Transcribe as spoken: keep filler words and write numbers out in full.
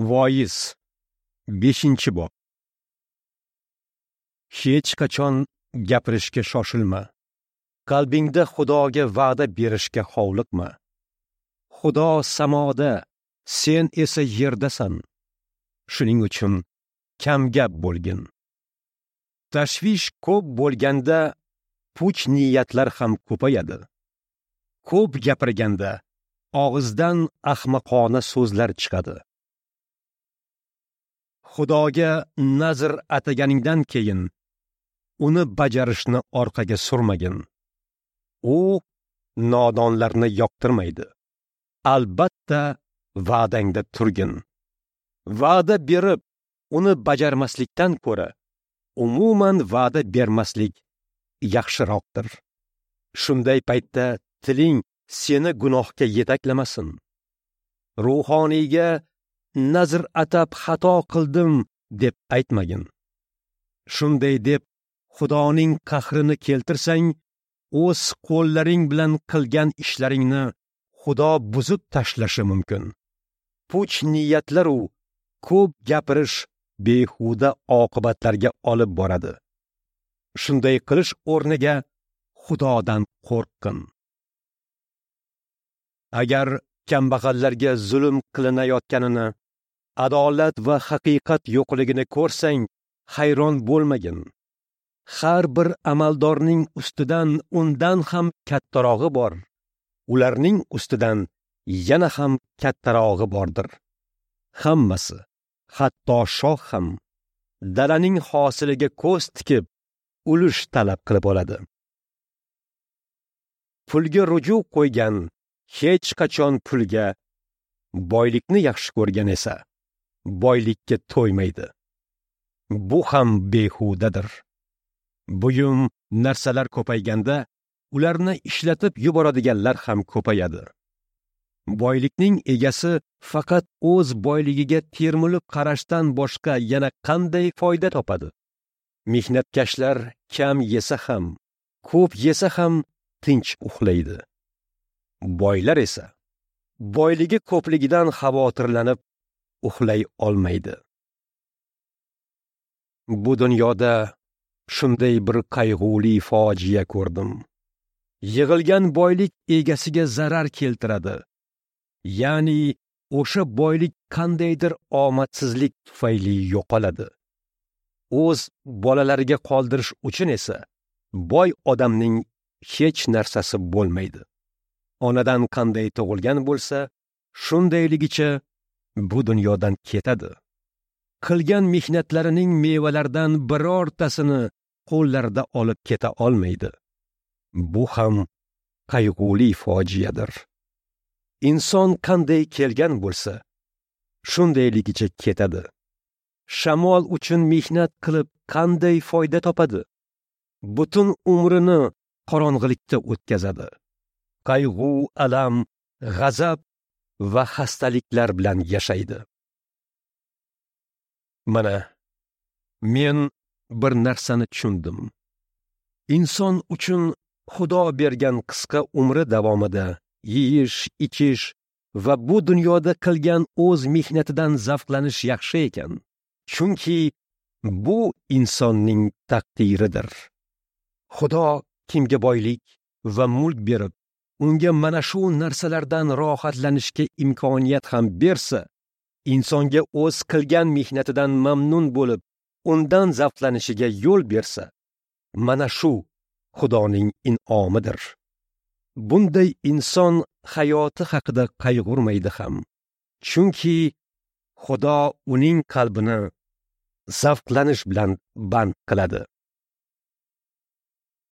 Voiz beshinchi bob. Hech qachon gapirishga shoshilma. Qalbingda Xudoga va'da berishga hovliqma. Xudo samoda, sen esa yerdasan. Shuning uchun kamgap bo'lgin. Tashvish ko'p bo'lganda puch niyatlar ham ko'payadi. Ko'p gapirganda og'izdan ahmoqona so'zlar chiqadi. Xudoga nazr ataganingdan keyin uni bajarishni orqaga surmagin. U nodonlarni yoqtirmaydi. Albatta va'dangda turgin. Va'da berib uni bajarmaslikdan ko'ra umuman va'da bermaslik yaxshiroqdir. Shunday paytda tiling seni gunohga yetaklamasin. Ruhoniyga nazr atab xato qildim deb aytmagin. Shunday deb Xudoning qahrini keltirsang, o'z qo'llaring bilan qilgan ishlaringni Xudo buzib tashlashi mumkin. Puch niyatlar u ko'p gapirish behuda oqibatlarga olib boradi. Shunday qilish o'rniga Xudodan qo'rqin. Agar kambag'allarga zulm qilinayotganini, adolat va haqiqat yo'qligini ko'rsang, hayron bo'lmagin. Har bir amaldorning ustidan undan ham kattarog'i bor. Ularning ustidan yana ham kattarog'i bordir. Hammasi, hatto shoh ham dalaning hosiliga ko'z tikib, ulush talab qilib oladi. Pulga ruju qo'ygan hech qachon pulga, boylikni yaxshi ko'rgan esa boylikka to'ymaydi. Bu ham behudadir. Buyum narsalar ko'payganda ularni ishlatib yuboradiganlar ham ko'payadi. Boylikning egasi faqat o'z boyligiga termilib qarashdan boshqa yana qanday foyda topadi? Mehnatkashlar kam yesa ham, ko'p yesa ham tinch uxlaydi. Boylar esa boyligi ko'pligidan xavotirlanib uxlay olmaydi. Bu dunyoda shunday bir qayg'uli fojia ko'rdim. Yig'ilgan boylik egasiga zarar keltiradi. Ya'ni o'sha boylik qandaydir omadsizlik tufayli yo'qoladi. O'z bolalariga qoldirish uchun esa boy odamning hech narsasi bo'lmaydi. Onadan qanday tug'ilgan bo'lsa, shundayligicha bu dunyodan ketadi. Qilgan mehnatlarining mevalaridan birortasini qo'llarida olib keta olmaydi. Bu ham qayg'uli fojiadir. Inson qanday kelgan bo'lsa, shundayligicha ketadi. Shamol uchun mehnat qilib qanday foyda topadi? Butun umrini qorong'ilikda o'tkazadi. Qayg'u, alam, g'azab va xastaliklar bilan yashaydi. Mana men bir narsani tushundim. Inson uchun Xudo bergan qisqa umri davomida yeyish, ichish va bu dunyoda qilgan o'z mehnatidan zavqlanish yaxshi ekan. Chunki bu insonning taqdiridir. Xudo kimga boylik va mulk berib, unga mana shu narsalardan rohatlanishga imkoniyat ham bersa, insonga o'z qilgan mehnatidan mamnun bo'lib, undan zavqlanishiga yo'l bersa, mana shu Xudoning in'omidir. Bunday inson hayoti haqida qayg'urmaydi ham. Chunki Xudo uning qalbini zavqlanish bilan band qiladi.